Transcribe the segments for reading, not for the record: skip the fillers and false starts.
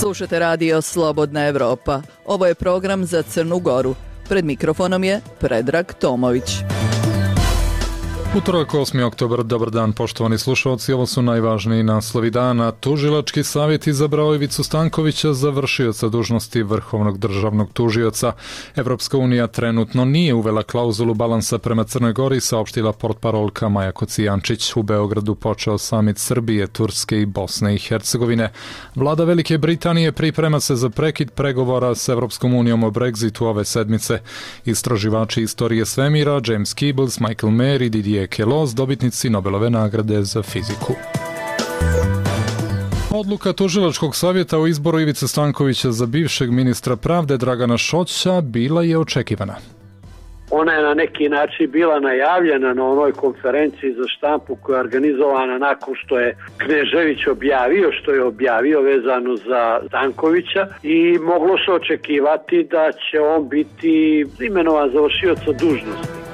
Slušate radio Slobodna Evropa. Ovo je program za Crnu Goru. Pred mikrofonom je Predrag Tomović. Utorak, 8. oktobar, dobar dan poštovani slušalci, ovo su najvažniji naslovi dana. Tužilački savjet izabrao Ivicu Stankovića za vršioca dužnosti vrhovnog državnog tužioca. Evropska unija trenutno nije uvela klauzulu balansa prema Crnoj Gori, saopštila portparolka Maja Kocijančić. U Beogradu počeo samit Srbije, Turske i Bosne i Hercegovine. Vlada Velike Britanije priprema se za prekid pregovora s Evropskom unijom o Brexitu ove sedmice. Istraživači istorije svemira James Peebles, Michael Mayer i Didier Queloz, dobitnici Nobelove nagrade za fiziku. Odluka Tužilačkog savjeta o izboru Ivice Stankovića za bivšeg ministra pravde Dragana Šoća bila je očekivana. Ona je na neki način bila najavljena na onoj konferenciji za štampu koja je organizovana nakon što je Knežević objavio vezano za Stankovića i moglo se očekivati da će on biti imenovan za vršioca dužnosti.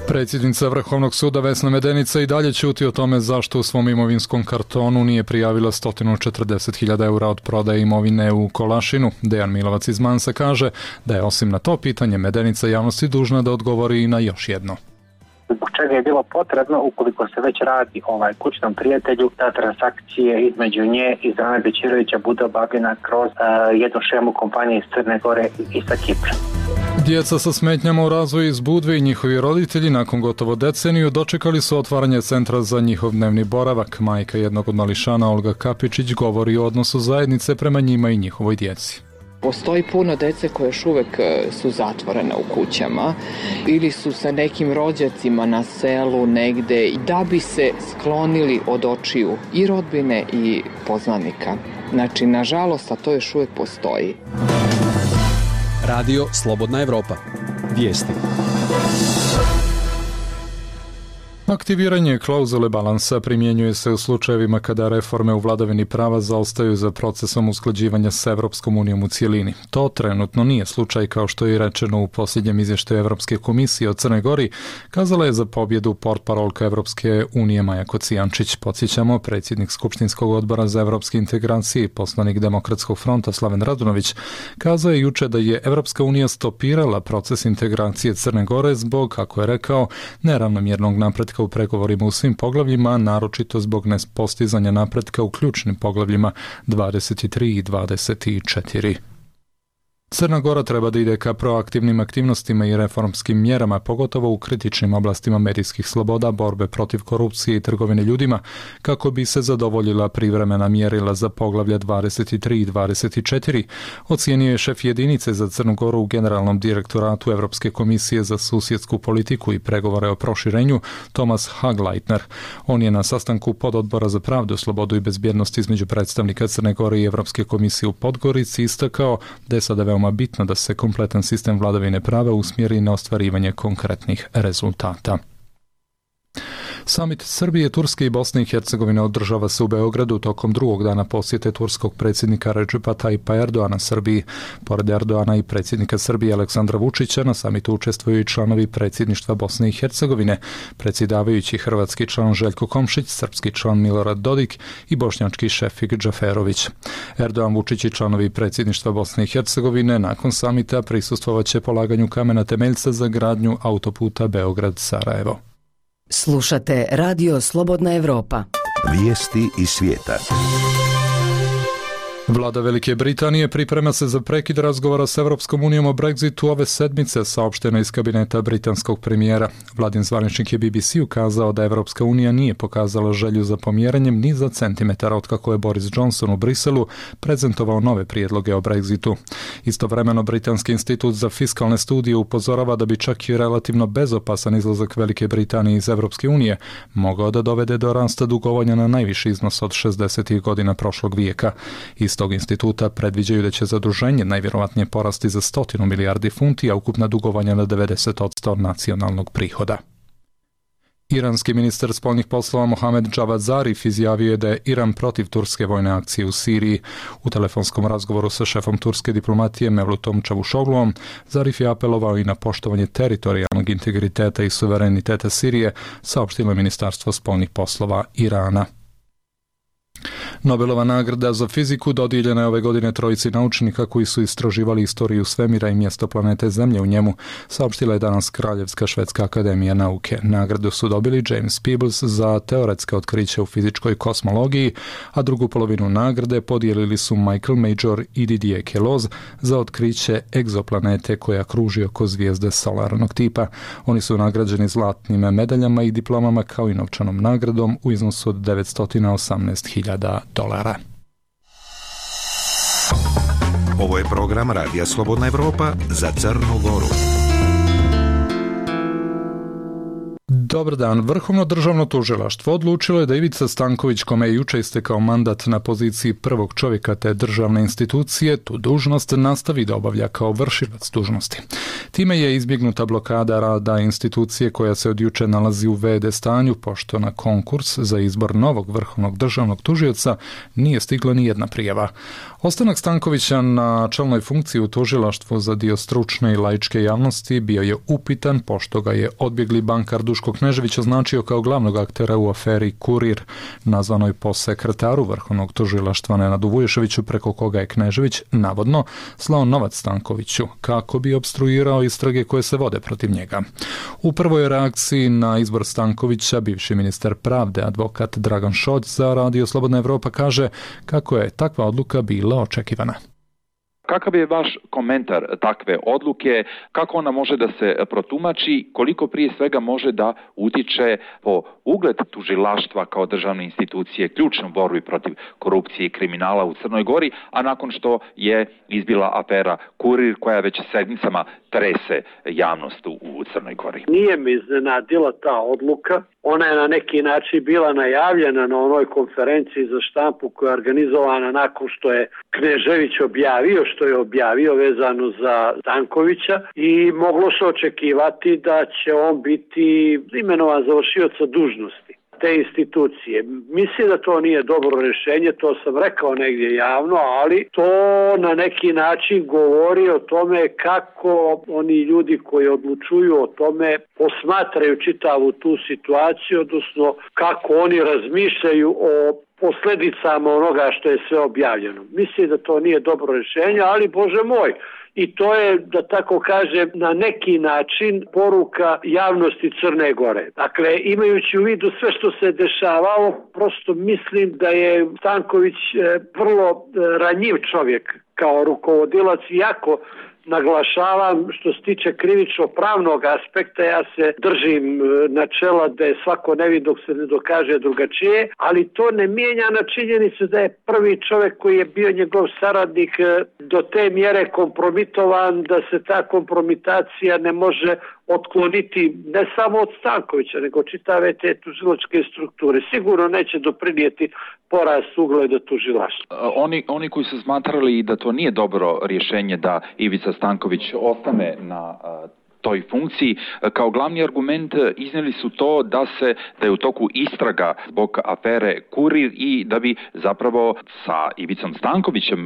Predsjednica Vrhovnog suda Vesna Medenica i dalje ćuti o tome zašto u svom imovinskom kartonu nije prijavila 140.000 eura od prodaje imovine u Kolašinu. Dejan Milovac iz Mansa kaže da je osim na to pitanje Medenica javnosti dužna da odgovori i na još jedno. Zbog čega je bilo potrebno, ukoliko se već radi o kućnom prijatelju, da transakcije između nje i Zorana Bećirovića bude obavljena kroz jednu šemu kompanije iz Crne Gore i sa Kipra. Djeca sa smetnjama u razvoju iz Budve i njihovi roditelji nakon gotovo deceniju dočekali su otvaranje centra za njihov dnevni boravak. Majka jednog od mališana, Olga Kapičić, govori o odnosu zajednice prema njima i njihovoj djeci. Postoji puno dece koje još uvek su zatvorene u kućama ili su sa nekim rođacima na selu negde da bi se sklonili od očiju i rodbine i poznanika. Znači, nažalost, a to još uvek postoji. Radio Slobodna Evropa. Vijesti. Aktiviranje klauzule balansa primjenjuje se u slučajevima kada reforme u vladavini prava zaostaju za procesom usklađivanja s Evropskom unijom u cijelini. To trenutno nije slučaj, kao što je rečeno u posljednjem izvještaju Evropske komisije o Crnoj Gori, kazala je za pobjedu portparolka Evropske unije Maja Kocijančić. Podsjećamo, predsjednik Skupštinskog odbora za evropske integracije i poslanik Demokratskog fronta Slaven Radunović kazao je juče da je Evropska unija stopirala proces integracije Crne Gore zbog, kako je rekao, neravnomjernog napretka u pregovorima u svim poglavljima, naročito zbog nepostizanja napretka u ključnim poglavljima 23 i 24. Crna Gora treba da ide ka proaktivnim aktivnostima i reformskim mjerama, pogotovo u kritičnim oblastima medijskih sloboda, borbe protiv korupcije i trgovine ljudima, kako bi se zadovoljila privremena mjerila za poglavlja 23 i 24, ocijenio je šef jedinice za Crnu Goru u Generalnom direktoratu Evropske komisije za susjedsku politiku i pregovore o proširenju Thomas Hagleitner. On je na sastanku pododbora za pravdu, slobodu i bezbjednost između predstavnika Crne Gore i Evropske komisije u Podgorici istakao da je sada veoma bitno da se kompletan sistem vladavine prava usmjeri na ostvarivanje konkretnih rezultata. Samit Srbije, Turske i Bosne i Hercegovine održava se u Beogradu tokom drugog dana posjete turskog predsjednika Recepa Tayyipa Erdoana Srbiji. Pored Erdoana i predsjednika Srbije Aleksandra Vučića, na samitu učestvuju i članovi predsjedništva Bosne i Hercegovine, predsjedavajući hrvatski član Željko Komšić, srpski član Milorad Dodik i bošnjački Šefik Džaferović. Erdoan, Vučić i članovi predsjedništva Bosne i Hercegovine nakon samita prisustvovaće polaganju kamena temeljca za gradnju autoputa Beograd-Sarajevo. Slušate Radio Slobodna Evropa. Vijesti iz svijeta. Vlada Velike Britanije priprema se za prekid razgovora s Evropskom unijom o Brexitu ove sedmice, saopšteno iz kabineta britanskog premijera. Vladin zvaničnik je BBC ukazao da Evropska unija nije pokazala želju za pomjeranjem ni za centimetar otkako je Boris Johnson u Briselu prezentovao nove prijedloge o Brexitu. Istovremeno, Britanski institut za fiskalne studije upozorava da bi čak i relativno bezopasan izlazak Velike Britanije iz Evropske unije mogao da dovede do rasta dugovanja na najviši iznos od 60. godina prošlog vijeka. Iz tog instituta predviđaju da će zaduženje najvjerovatnije porasti za 100 milijardi funti, a ukupna dugovanja na 90% nacionalnog prihoda. Iranski ministar spoljnih poslova Mohamed Javad Zarif izjavio je da je Iran protiv turske vojne akcije u Siriji. U telefonskom razgovoru sa šefom turske diplomatije Mevlutom Čavuşogluom, Zarif je apelovao i na poštovanje teritorijalnog integriteta i suvereniteta Sirije, saopštilo je Ministarstvo spoljnih poslova Irana. Nobelova nagrada za fiziku dodijeljena je ove godine trojici naučnika koji su istraživali istoriju svemira i mjesto planete Zemlje u njemu, saopštila je danas Kraljevska švedska akademija nauke. Nagradu su dobili James Peebles za teoretska otkrića u fizičkoj kosmologiji, a drugu polovinu nagrade podijelili su Michael Major i Didier Queloz za otkriće egzoplanete koja kruži oko zvijezde solarnog tipa. Oni su nagrađeni zlatnim medaljama i diplomama kao i novčanom nagradom u iznosu od $918.000. Ovo je program Radija Slobodna Evropa za Crnu Goru. Dobar dan. Vrhovno državno tužilaštvo odlučilo je da Ivica Stanković, kome je juče istekao mandat na poziciji prvog čovjeka te državne institucije, tu dužnost nastavi da obavlja kao vršilac dužnosti. Time je izbjegnuta blokada rada institucije koja se od juče nalazi u v.d. stanju, pošto na konkurs za izbor novog vrhovnog državnog tužioca nije stigla ni jedna prijava. Ostanak Stankovića na čelnoj funkciji u tužilaštvu za dio stručne i laičke javnosti bio je upitan, pošto ga je odbjegli bankar Duško Knežević označio kao glavnog aktera u aferi Kurir, nazvanoj po sekretaru vrhovnog tužilaštva Nenadu Vuješeviću, preko koga je Knežević navodno slao novac Stankoviću kako bi opstruirao istrage koje se vode protiv njega. U prvoj reakciji na izbor Stankovića bivši ministar pravde, advokat Dragan Šolj za Radio Slobodna Evropa kaže kako je takva odluka bila očekivana. Kakav je vaš komentar takve odluke, kako ona može da se protumači, koliko prije svega može da utiče po ugled tužilaštva kao državne institucije, ključnu borbi protiv korupcije i kriminala u Crnoj Gori, a nakon što je izbila afera Kurir koja već sedmicama trese javnost u Crnoj Gori? Nije mi iznenadila ta odluka. Ona je na neki način bila najavljena na onoj konferenciji za štampu koja je organizovana nakon što je Knežević objavio vezano za Stankovića i moglo se očekivati da će on biti imenovan za vršioca dužnosti te institucije. Mislim da to nije dobro rješenje, to sam rekao negdje javno, ali to na neki način govori o tome kako oni ljudi koji odlučuju o tome posmatraju čitavu tu situaciju, odnosno kako oni razmišljaju o posljedicama onoga što je sve objavljeno. Mislim da to nije dobro rješenje, ali Bože moj, i to je, da tako kažem, na neki način poruka javnosti Crne Gore. Dakle, imajući u vidu sve što se dešavalo, prosto mislim da je Stanković vrlo ranjiv čovjek kao rukovodilac, iako naglašavam što se tiče krivično-pravnog aspekta, ja se držim načela da je svako nevin dok se ne dokaže drugačije, ali to ne mijenja na činjenicu da je prvi čovjek koji je bio njegov saradnik do te mjere kompromitovan da se ta kompromitacija ne može otkloniti ne samo od Stankovića, nego čitave te tužilačke strukture. Sigurno neće doprinijeti porast ugleda tužilaštva. Oni koji su smatrali da to nije dobro rješenje da Ivica Stanković ostane na toj funkciji, kao glavni argument iznijeli su to da je u toku istraga zbog afere Kurir i da bi zapravo sa Ivicom Stankovićem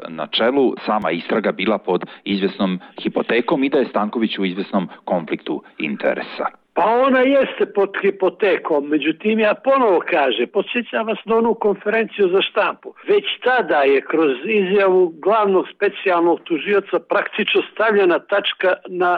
na čelu sama istraga bila pod izvjesnom hipotekom i da je Stanković u izvjesnom konfliktu interesa. Pa ona jeste pod hipotekom, međutim ja ponovo kažem, podsjećam vas na onu konferenciju za štampu. Već tada je kroz izjavu glavnog specijalnog tužioca praktično stavljena tačka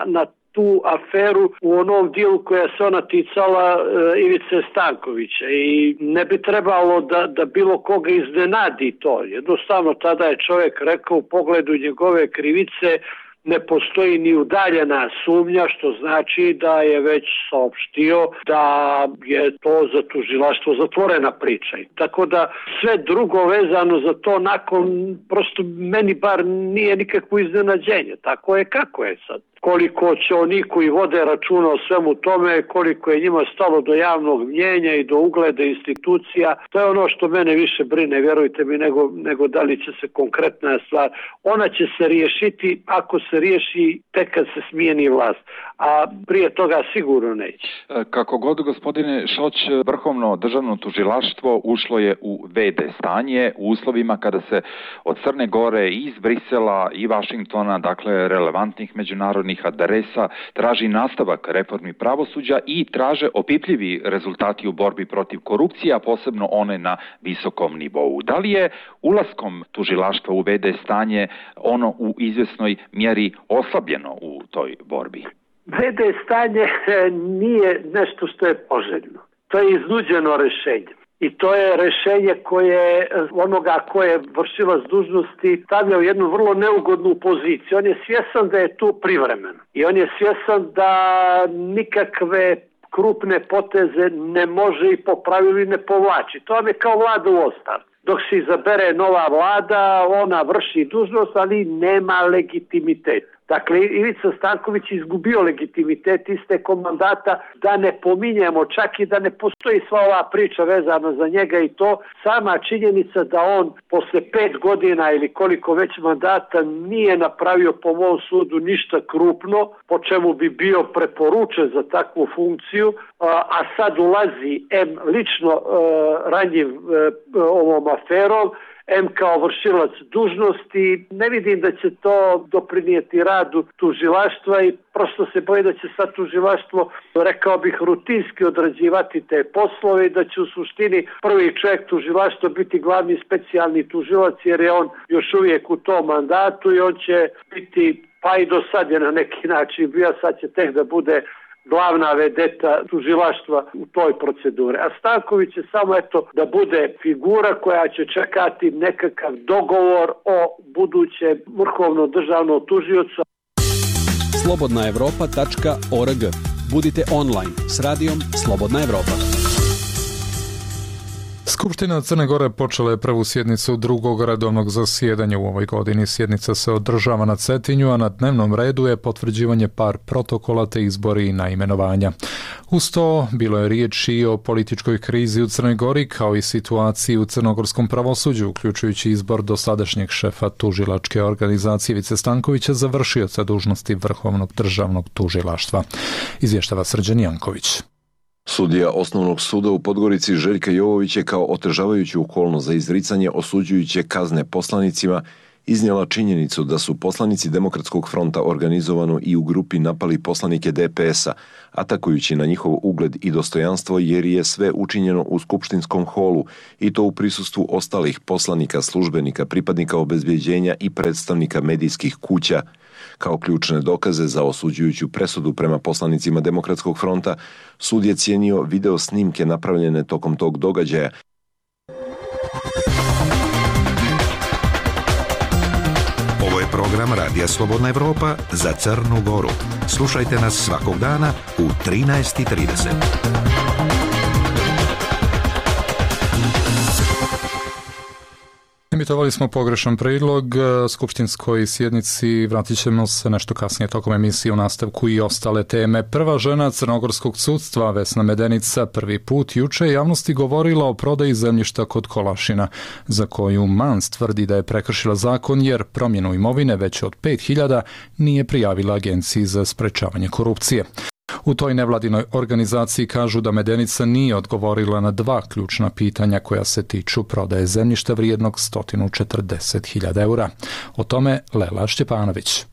na tu aferu u onom dijelu koja se ona ticala Ivice Stankovića i ne bi trebalo da bilo koga iznenadi to. Jednostavno tada je čovjek rekao u pogledu njegove krivice ne postoji ni udaljena sumnja, što znači da je već saopštio da je to za tužilaštvo zatvorena priča. Tako da sve drugo vezano za to nakon prosto meni bar nije nikakvo iznenađenje. Tako je kako je sad. Koliko će oni koji vode računa o svemu tome, koliko je njima stalo do javnog mnjenja i do ugleda institucija, to je ono što mene više brine, vjerujte mi, nego da li će se konkretna stvar. Ona će se riješiti ako se riješi tek kad se smijeni vlast, a prije toga sigurno neće. Kako god, gospodine Šoć, Vrhovno državno tužilaštvo ušlo je u v.d. stanje u uslovima kada se od Crne Gore i iz Brisela i Vašingtona, dakle relevantnih međunarodnih zatvorenih adresa, traži nastavak reformi pravosuđa i traže opipljivi rezultati u borbi protiv korupcije, a posebno one na visokom nivou. Da li je ulaskom tužilaštva u VD stanje ono u izvjesnoj mjeri oslabljeno u toj borbi? VD stanje nije nešto što je poželjno. To je iznuđeno rješenje. I to je rješenje koje onoga ko je vršilac dužnosti stavlja u jednu vrlo neugodnu poziciju. On je svjesan da je tu privremeno. I on je svjesan da nikakve krupne poteze ne može i po pravilu ne povlači. To vam je kao vlada u ostavci. Dok se izabere nova vlada, ona vrši dužnost, ali nema legitimitet. Dakle, Ivica Stanković izgubio legitimitet istekom mandata, da ne pominjemo, čak i da ne postoji sva ova priča vezana za njega i to. Sama činjenica da on posle 5 godina ili koliko već mandata nije napravio po mom sudu ništa krupno, po čemu bi bio preporučen za takvu funkciju, a sad ulazi lično ranjiv ovom aferom, kao vršilac dužnosti. Ne vidim da će to doprinijeti radu tužilaštva i prosto se boji da će sad tužilaštvo, rekao bih, rutinski odrađivati te poslove i da će u suštini prvi čovjek tužilaštva biti glavni specijalni tužilac, jer je on još uvijek u tom mandatu i on će biti, pa i do sad je na neki način bio, sad će tek da bude glavna vedeta tužilaštva u toj proceduri. A Stanković je samo da bude figura koja će čekati nekakav dogovor o budućem vrhovnom državnom tužiocu. slobodnaevropa.org. Budite online s radijom Slobodna Evropa. Skupština Crne Gore počela je prvu sjednicu drugog redovnog zasjedanja u ovoj godini. Sjednica se održava na Cetinju, a na dnevnom redu je potvrđivanje par protokola te izbori i naimenovanja. Uz to bilo je riječ i o političkoj krizi u Crnoj Gori, kao i situaciji u crnogorskom pravosuđu, uključujući izbor dosadašnjeg šefa tužilačke organizacije Ivice Stankovića za vršioca dužnosti Vrhovnog državnog tužilaštva. Izvještava Srđan Janković. Sudija Osnovnog suda u Podgorici Željka Jovović je kao otežavajuću okolnost za izricanje osuđujuće kazne poslanicima iznijela činjenicu da su poslanici Demokratskog fronta organizovano i u grupi napali poslanike DPS-a, atakujući na njihov ugled i dostojanstvo, jer je sve učinjeno u skupštinskom holu i to u prisustvu ostalih poslanika, službenika, pripadnika obezbeđenja i predstavnika medijskih kuća. Kao ključne dokaze za osuđujuću presudu prema poslanicima Demokratskog fronta, sud je cijenio video snimke napravljene tokom tog događaja. Ovo je program Radija Slobodna Evropa za Crnu Goru. Slušajte nas svakog dana u 13:30. Emitovali smo pogrešan prijedlog skupštinskoj sjednici, vratit ćemo se nešto kasnije tokom emisije u nastavku i ostale teme. Prva žena crnogorskog sudstva, Vesna Medenica, prvi put juče javnosti govorila o prodaji zemljišta kod Kolašina, za koju Mans tvrdi da je prekršila zakon jer promjenu imovine veće od 5.000 nije prijavila Agenciji za sprečavanje korupcije. U toj nevladinoj organizaciji kažu da Medenica nije odgovorila na dva ključna pitanja koja se tiču prodaje zemljišta vrijednog 140.000 eura. O tome Lela Šćepanović.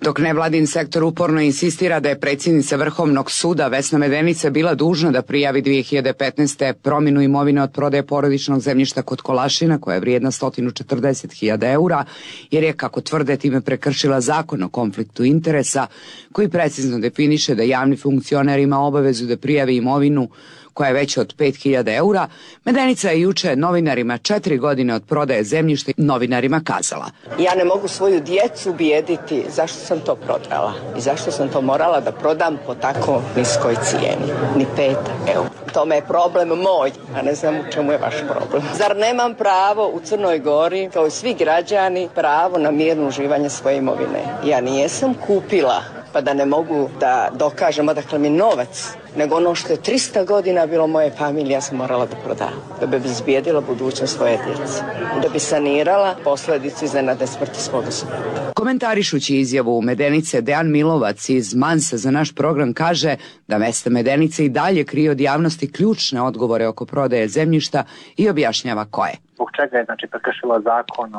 Dok nevladin sektor uporno insistira da je predsjednica Vrhovnog suda Vesna Medenica bila dužna da prijavi 2015. promjenu imovine od prodaje porodičnog zemljišta kod Kolašina koja je vrijedna 140.000 eura, jer je, kako tvrde, time prekršila zakon o konfliktu interesa koji precizno definiše da javni funkcioner ima obavezu da prijavi imovinu koja je veća od 5.000 eura, Medenica je juče novinarima 4 godine od prodaje zemljišta novinarima kazala: ja ne mogu svoju djecu bijediti zašto sam to prodala i zašto sam to morala da prodam po tako niskoj cijeni, ni 5 eura. Tome je problem moj, a ne znam u čemu je vaš problem. Zar nemam pravo u Crnoj Gori, kao i svi građani, pravo na mirno uživanje svoje imovine? Ja nijesam kupila pa da ne mogu da dokažem odakle mi novac, nego ono što je 300 godina bilo moje familije, ja sam morala da prodam, da bi izbijedila budućnost svoje djece, da bi sanirala posljedicu iznenadne smrti svoga supruga. Komentarišući izjavu Medenice, Dejan Milovac iz Mansa za naš program kaže da Vesna Medenica i dalje krije od javnosti ključne odgovore oko prodaje zemljišta i objašnjava koje. zbog čega je prekršila zakon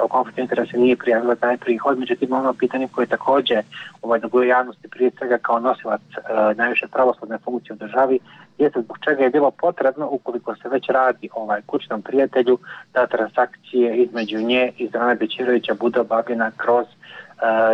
o konfliktu interesa, nije prijavila taj prihod. Međutim, ono pitanje koje takođe duguje javnosti, prije svega kao nosilac najviše pravosudne funkcije u državi, jeste zbog čega je bilo potrebno, ukoliko se već radi kućnom prijatelju, da transakcije između nje i Zorana Bećirovića bude obavljena kroz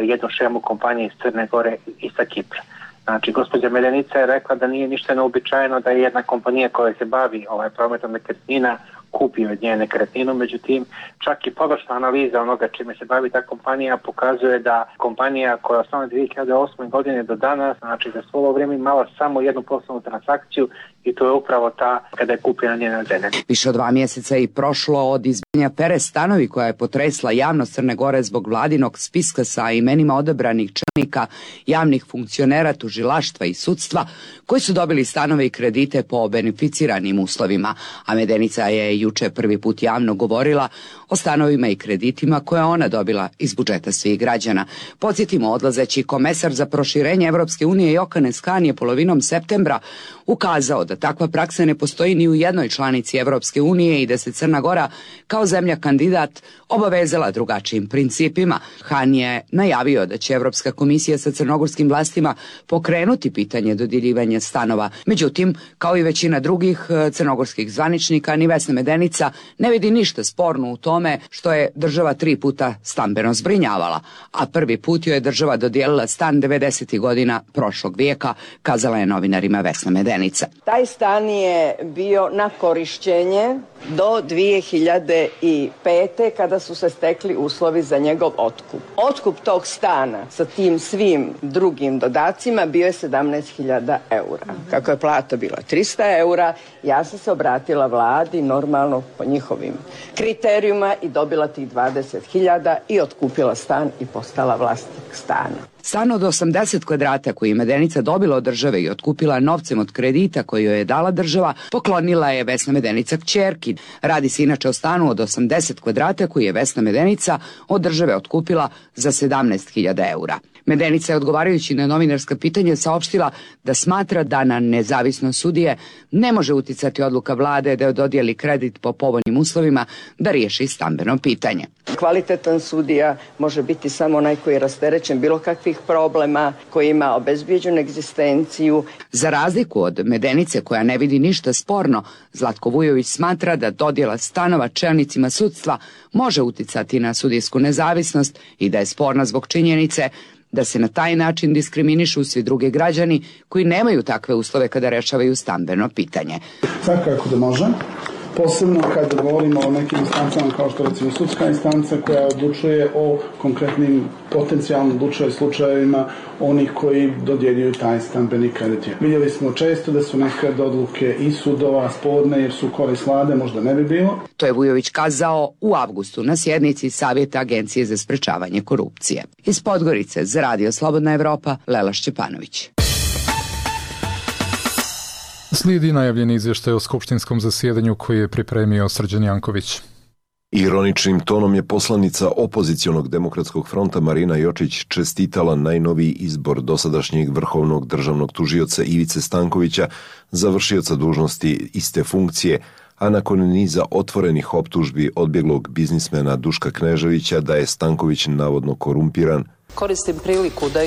jednu šemu kompanije iz Crne Gore i sa Kipra. Znači, gospođa Medenica je rekla da nije ništa neobičajeno da je jedna kompanija koja se bavi prometom nekretnina kupi od nje nekretninu, međutim, čak i površna analiza onoga čime se bavi ta kompanija pokazuje da kompanija koja je osnovana 2008. godine do danas, znači za svo ovo vrijeme imala samo jednu poslovnu transakciju i to je upravo ta kada je kupljena njena zemlja. Više od 2 mjeseca je prošlo od izbijanja afere Stanovi koja je potresla javnost Crne Gore zbog vladinog spiska sa imenima odabranih čelnika javnih funkcionera, tužilaštva i sudstva koji su dobili stanove i kredite po beneficiranim uslovima, a Medenica je juče prvi put javno govorila o stanovima i kreditima koje ona dobila iz budžeta svih građana. Podsjetimo, odlazeći komesar za proširenje Evropske unije Johannes Hahn je polovinom septembra ukazao da takva praksa ne postoji ni u jednoj članici Evropske unije i da se Crna Gora kao zemlja kandidat obavezala drugačijim principima. Hahn je najavio da će Evropska komisija sa crnogorskim vlastima pokrenuti pitanje dodjeljivanja stanova. Međutim, kao i većina drugih crnogorskih zvaničnika, ni Vesna Medenica ne vidi ništa sporno u tome što je država 3 puta stambeno zbrinjavala, a prvi put joj je država dodijelila stan 90. godina prošlog vijeka, kazala je novinarima Vesna Medenica. Taj stan je bio na korišćenje do 2005. kada su se stekli uslovi za njegov otkup. Otkup tog stana sa tim svim drugim dodacima bio je 17.000 eura. Kako je plata bila 300 eura, ja sam se obratila vladi normalno po njihovim kriterijuma i dobila tih 20.000 i otkupila stan i postala vlasnik stana. Stan od 80 kvadrata koji je Medenica dobila od države i otkupila novcem od kredita koji joj je dala država, poklonila je Vesna Medenica kćerki. Radi se inače o stanu od 80 kvadrata koji je Vesna Medenica od države otkupila za 17.000 eura. Medenica je odgovarajući na novinarska pitanja saopštila da smatra da na nezavisnost sudije ne može uticati odluka vlade da joj dodijeli kredit po povoljnim uslovima da riješi stambeno pitanje. Kvalitetan sudija može biti samo onaj koji je rasterećen bilo kakvih problema, koji ima obezbijeđenu egzistenciju. Za razliku od Medenice koja ne vidi ništa sporno, Zlatko Vujović smatra da dodjela stanova čelnicima sudstva može uticati na sudijsku nezavisnost i da je sporna zbog činjenice da se na taj način diskriminišu svi drugi građani koji nemaju takve uslove kada rešavaju stambeno pitanje. Svakako da može. Posebno kada govorimo o nekim instancama kao što recimo sudska instanca koja odlučuje o konkretnim potencijalno odlučuje slučajevima onih koji dodjeljuju taj stambeni kredit. Vidjeli smo često da su nekad odluke i sudova sporne jer su korist vlade, možda ne bi bilo. To je Vujović kazao u avgustu na sjednici Savjeta Agencije za sprečavanje korupcije. Iz Podgorice za Radio Slobodna Evropa, Lela Šćepanović. Slijedi najavljeni izvještaj o skupštinskom zasjedanju koji je pripremio Srđan Janković. Ironičnim tonom je poslanica opozicionog demokratskog fronta Marina Jočić čestitala najnoviji izbor dosadašnjeg vrhovnog državnog tužioca Ivice Stankovića za vršioca dužnosti iste funkcije, a nakon niza otvorenih optužbi odbjeglog biznismena Duška Kneževića da je Stanković navodno korumpiran. Koristim priliku da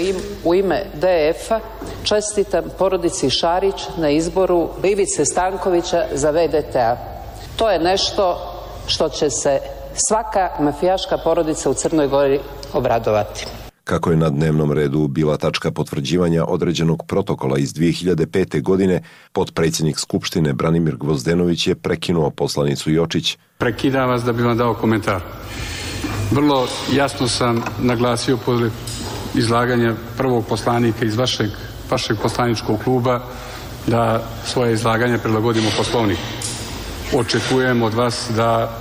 u ime DF-a čestitam porodici Šarić na izboru Ivice Stankovića za VDT-a. To je nešto što će se svaka mafijaška porodica u Crnoj Gori obradovati. Kako je na dnevnom redu bila tačka potvrđivanja određenog protokola iz 2005. godine, potpredsjednik Skupštine Branimir Gvozdenović je prekinuo poslanicu Jočić. Prekidam vas da bi vam dao komentar. Vrlo jasno sam naglasio pod izlaganja prvog poslanika iz vašeg poslaničkog kluba da svoje izlaganje prilagodimo Poslovniku. Očekujem od vas da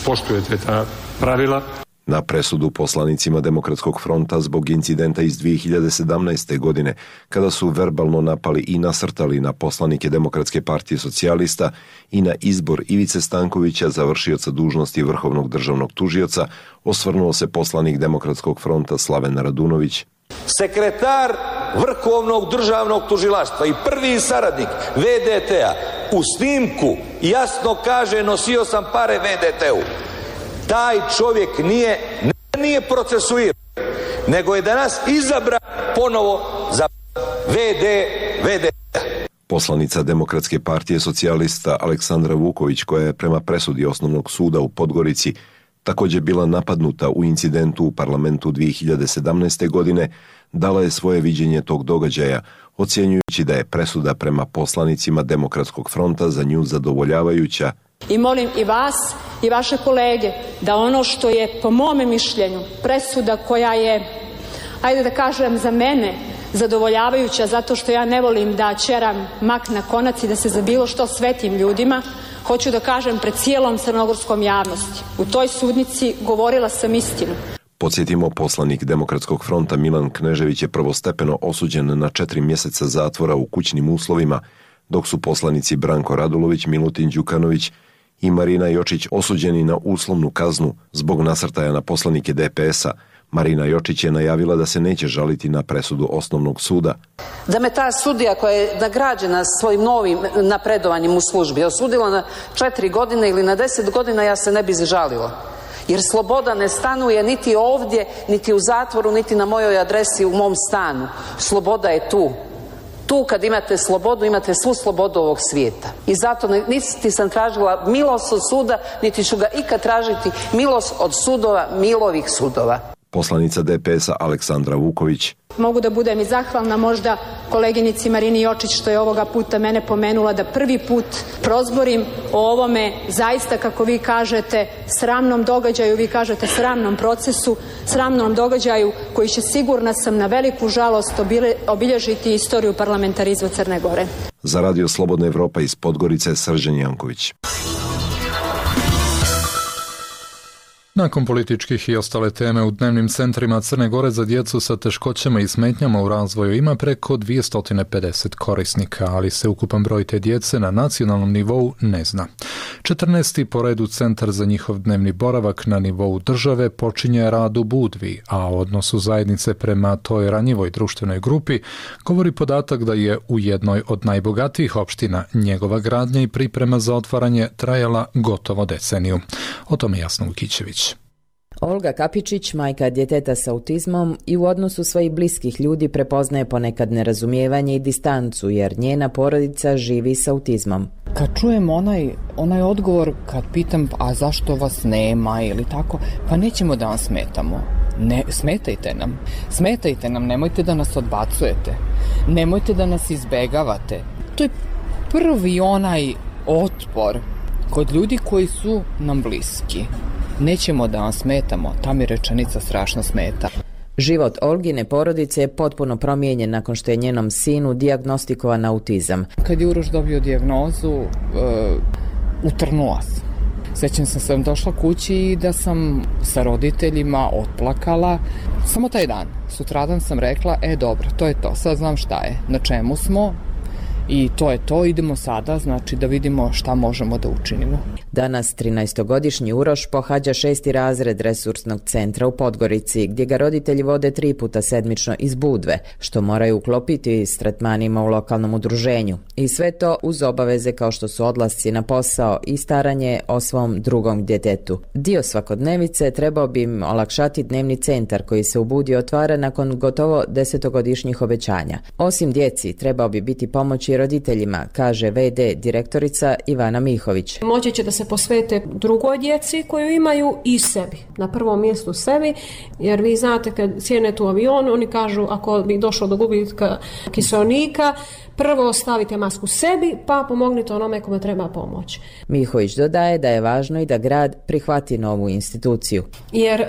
poštujete ta pravila. Na presudu poslanicima Demokratskog fronta zbog incidenta iz 2017. godine, kada su verbalno napali i nasrtali na poslanike Demokratske partije socijalista i na izbor Ivice Stankovića za vršioca dužnosti vrhovnog državnog tužioca, osvrnuo se poslanik Demokratskog fronta Slaven Radunović. Sekretar vrhovnog državnog tužilaštva i prvi saradnik VDT-a u snimku jasno kaže nosio sam pare VDT-u. Taj čovjek nije procesuiran, nego je danas izabran ponovo za VD. Poslanica Demokratske partije socijalista Aleksandra Vuković, koja je prema presudi Osnovnog suda u Podgorici također bila napadnuta u incidentu u parlamentu 2017. godine, dala je svoje viđenje tog događaja, ocjenjujući da je presuda prema poslanicima Demokratskog fronta za nju zadovoljavajuća. I molim i vas i vaše kolege da ono što je po mome mišljenju presuda koja je, ajde da kažem za mene, zadovoljavajuća zato što ja ne volim da ćeram mak na konac i da se za bilo što svetim ljudima, hoću da kažem pred cijelom crnogorskom javnosti. U toj sudnici govorila sam istinu. Podsjetimo, poslanik Demokratskog fronta Milan Knežević je prvostepeno osuđen na 4 mjeseca zatvora u kućnim uslovima, dok su poslanici Branko Radulović, Milutin Đukanović i Marina Jočić osuđeni na uslovnu kaznu zbog nasrtaja na poslanike DPS-a. Marina Jočić je najavila da se neće žaliti na presudu Osnovnog suda. Da me ta sudija koja je nagrađena svojim novim napredovanjem u službi osudila na 4 godine ili na 10 godina, ja se ne bi žalila. Jer sloboda ne stanuje niti ovdje, niti u zatvoru, niti na mojoj adresi u mom stanu. Sloboda je tu. Tu kad imate slobodu, imate svu slobodu ovog svijeta. I zato niti sam tražila milost od suda, niti ću ga ikad tražiti milost od sudova, milovih sudova. Poslanica DPS-a Aleksandra Vuković. Mogu da budem i zahvalna možda koleginici Marini Jočić što je ovoga puta mene pomenula da prvi put prozborim o ovome zaista, kako vi kažete, sramnom događaju, vi kažete sramnom procesu, sramnom događaju koji će, sigurna sam, na veliku žalost obilježiti istoriju parlamentarizma Crne Gore. Za Radio Slobodna Evropa iz Podgorice, Srđan Janković. Nakon političkih i ostale teme u dnevnim centrima Crne Gore za djecu sa teškoćama i smetnjama u razvoju ima preko 250 korisnika, ali se ukupan broj te djece na nacionalnom nivou ne zna. 14. po redu centar za njihov dnevni boravak na nivou države počinje rad u Budvi, a o odnosu zajednice prema toj ranjivoj društvenoj grupi govori podatak da je u jednoj od najbogatijih opština njegova gradnja i priprema za otvaranje trajala gotovo deceniju. O tome Jasna Vukićević. Olga Kapičić, majka djeteta s autizmom, i u odnosu svojih bliskih ljudi prepoznaje ponekad nerazumijevanje i distancu, jer njena porodica živi s autizmom. Kad čujem onaj odgovor, kad pitam a zašto vas nema ili tako, pa nećemo da vam smetamo. Ne, smetajte nam, nemojte da nas odbacujete, nemojte da nas izbegavate. To je prvi onaj otpor kod ljudi koji su nam bliski. Nećemo da vam smetamo, ta mi rečenica strašno smeta. Život Olgine porodice je potpuno promijenjen nakon što je njenom sinu dijagnostikovan autizam. Kad je Uroš dobio dijagnozu, utrnula sam. Sjećam sam došla kući i da sam sa roditeljima otplakala. Samo taj dan. Sutradan sam rekla, dobro, to je to, sad znam šta je, na čemu smo. I to je to, idemo sada, znači da vidimo šta možemo da učinimo. Danas 13-godišnji Uroš pohađa 6. razred resursnog centra u Podgorici, gdje ga roditelji vode 3 puta sedmično iz Budve, što moraju uklopiti s tretmanima u lokalnom udruženju. I sve to uz obaveze kao što su odlasci na posao i staranje o svom drugom djetetu. Dio svakodnevice trebao bi im olakšati dnevni centar koji se u Budvi otvara nakon gotovo 10-godišnjih obećanja. Osim djeci, trebao bi biti pomoći roditeljima, kaže VD direktorica Ivana Mihović. Moći će da se posvete drugoj djeci koju imaju i sebi. Na prvom mjestu sebi, jer vi znate kad sjednete u avion, oni kažu ako bi došlo do gubitka kiseonika, prvo stavite masku sebi, pa pomognite onome kome treba pomoć. Mihović dodaje da je važno i da grad prihvati novu instituciju. Jer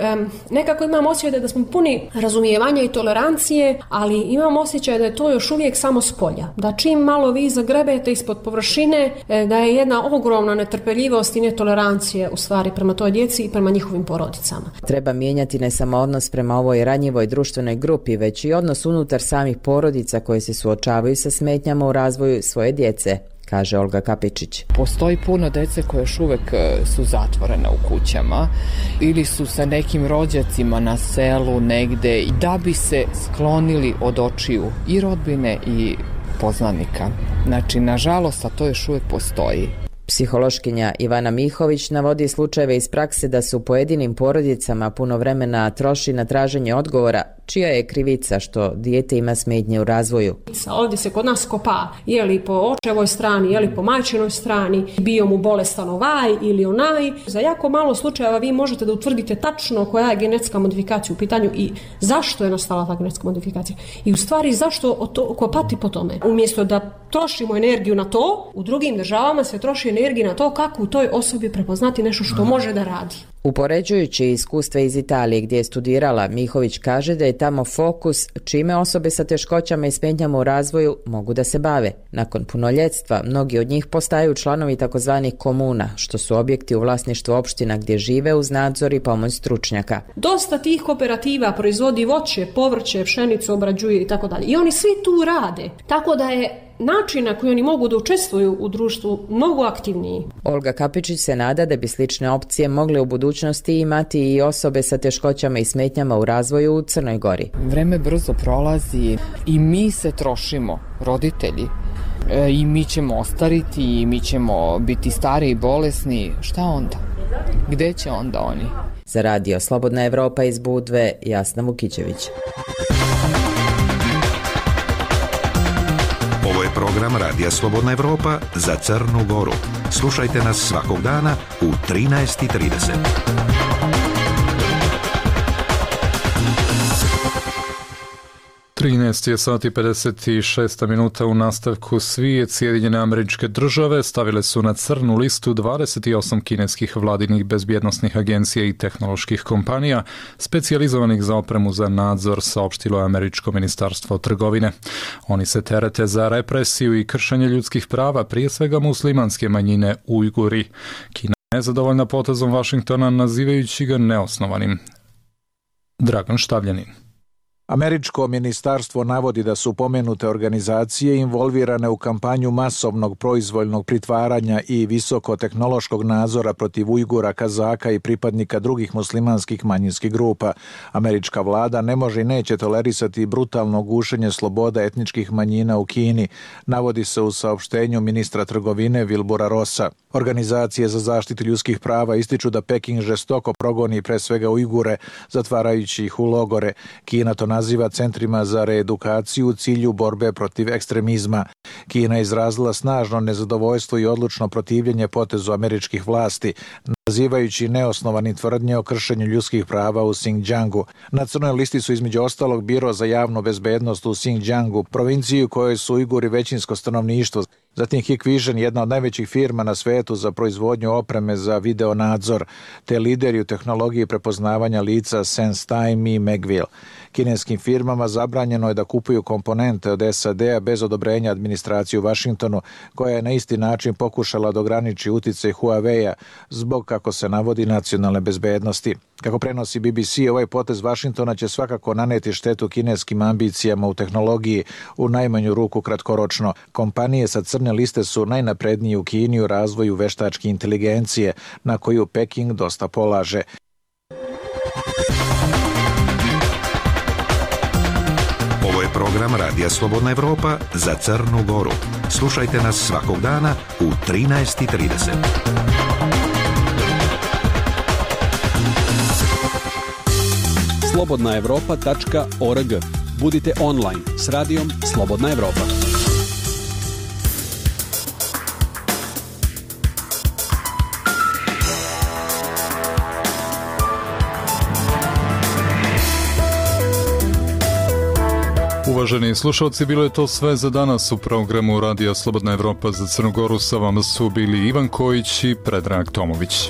nekako imam osjećaj da smo puni razumijevanja i tolerancije, ali imam osjećaj da je to još uvijek samo s polja. Da čim malo vi zagrebete ispod površine, da je jedna ogromna netrpeljivost i netolerancije u stvari prema toj djeci i prema njihovim porodicama. Treba mijenjati ne samo odnos prema ovoj ranjivoj društvenoj grupi, već i odnos unutar samih porodica koje se suočavaju sa smetnjama u razvoju svoje djece, kaže Olga Kapičić. Postoji puno djece koje još uvijek su zatvorene u kućama ili su sa nekim rođacima na selu negde da bi se sklonili od očiju i rodbine i poznanika. Znači, nažalost, a to još uvijek postoji. Psihološkinja Ivana Mihović navodi slučajeve iz prakse da su pojedinim porodicama puno vremena troši na traženje odgovora čija je krivica što dijete ima smetnje u razvoju. Ovdje se kod nas kopa je li po očevoj strani, je li po majčinoj strani, bio mu bolestan ovaj ili onaj. Za jako malo slučajeva vi možete da utvrdite tačno koja je genetska modifikacija u pitanju i zašto je nastala ta genetska modifikacija. I u stvari zašto kopati po tome. Umjesto da trošimo energiju na to, u drugim državama se troši energija na to kako u toj osobi prepoznati nešto što može da radi. Upoređujući iskustva iz Italije gdje je studirala, Mihović kaže da je tamo fokus čime osobe sa teškoćama i smetnjama u razvoju mogu da se bave. Nakon punoljetstva, mnogi od njih postaju članovi takozvanih komuna, što su objekti u vlasništvu opština gdje žive uz nadzor i pomoć stručnjaka. Dosta tih kooperativa proizvodi voće, povrće, pšenicu obrađuje i tako dalje. I oni svi tu rade. Tako da je način na koji oni mogu da učestvuju u društvu mnogo aktivniji. Olga Kapičić se nada da bi slične opcije mogle u budućnosti imati i osobe sa teškoćama i smetnjama u razvoju u Crnoj Gori. Vreme brzo prolazi i mi se trošimo, roditelji. I mi ćemo ostariti i mi ćemo biti stari i bolesni. Šta onda? Gde će onda oni? Za radio Slobodna Evropa iz Budve, Jasna Vukićević. Ovo je program Radija Slobodna Evropa za Crnu Goru. Slušajte nas svakog dana u 13:30. 13:56 u nastavku. Sjedinjene Američke Države stavile su na crnu listu 28 kineskih vladinih bezbjednosnih agencija i tehnoloških kompanija specijalizovanih za opremu za nadzor, saopštilo je Američko ministarstvo trgovine. Oni se terete za represiju i kršenje ljudskih prava, prije svega muslimanske manjine Ujguri. Kina je nezadovoljna potezom Vašingtona, nazivajući ga neosnovanim. Dragan Štavljanin. Američko ministarstvo navodi da su pomenute organizacije involvirane u kampanju masovnog proizvoljnog pritvaranja i visokotehnološkog nadzora protiv Ujgura, Kazaka i pripadnika drugih muslimanskih manjinskih grupa. Američka vlada ne može i neće tolerisati brutalno gušenje sloboda etničkih manjina u Kini, navodi se u saopštenju ministra trgovine Wilbura Rossa. Organizacije za zaštitu ljudskih prava ističu da Peking žestoko progoni pre svega Ujgure, zatvarajući ih u logore. Kina to naziva centrima za reedukaciju u cilju borbe protiv ekstremizma. Kina je izrazila snažno nezadovoljstvo i odlučno protivljenje potezu američkih vlasti, nazivajući neosnovani tvrdnje o kršenju ljudskih prava u Xinjiangu. Na crnoj listi su između ostalog Biro za javnu bezbednost u Xinjiangu, provinciju u kojoj su Ujguri većinsko stanovništvo. Zatim Hikvision, jedna od najvećih firma na svetu za proizvodnju opreme za video nadzor, te lideri u tehnologiji prepoznavanja lica SenseTime i Megville. Kineskim firmama zabranjeno je da kupuju komponente od SAD-a bez odobrenja administracije u Vašingtonu, koja je na isti način pokušala da ograniči uticaj Huawei-a zbog, kako se navodi, nacionalne bezbednosti. Kako prenosi BBC, ovaj potez Vašingtona će svakako naneti štetu kineskim ambicijama u tehnologiji, u najmanju ruku kratkoročno. Kompanije sa crne liste su najnaprednije u Kini u razvoju veštačke inteligencije, na koju Peking dosta polaže. Ovo je program Radija Slobodna Evropa za Crnu Goru. Slušajte nas svakog dana u 13:30. slobodnaevropa.org. Budite online s radijom Slobodna Evropa. Uvaženi slušalci, bilo je to sve za danas u programu Radija Slobodna Evropa za Crnu Goru. Sa vama su bili Ivan Kojić i Predrag Tomović.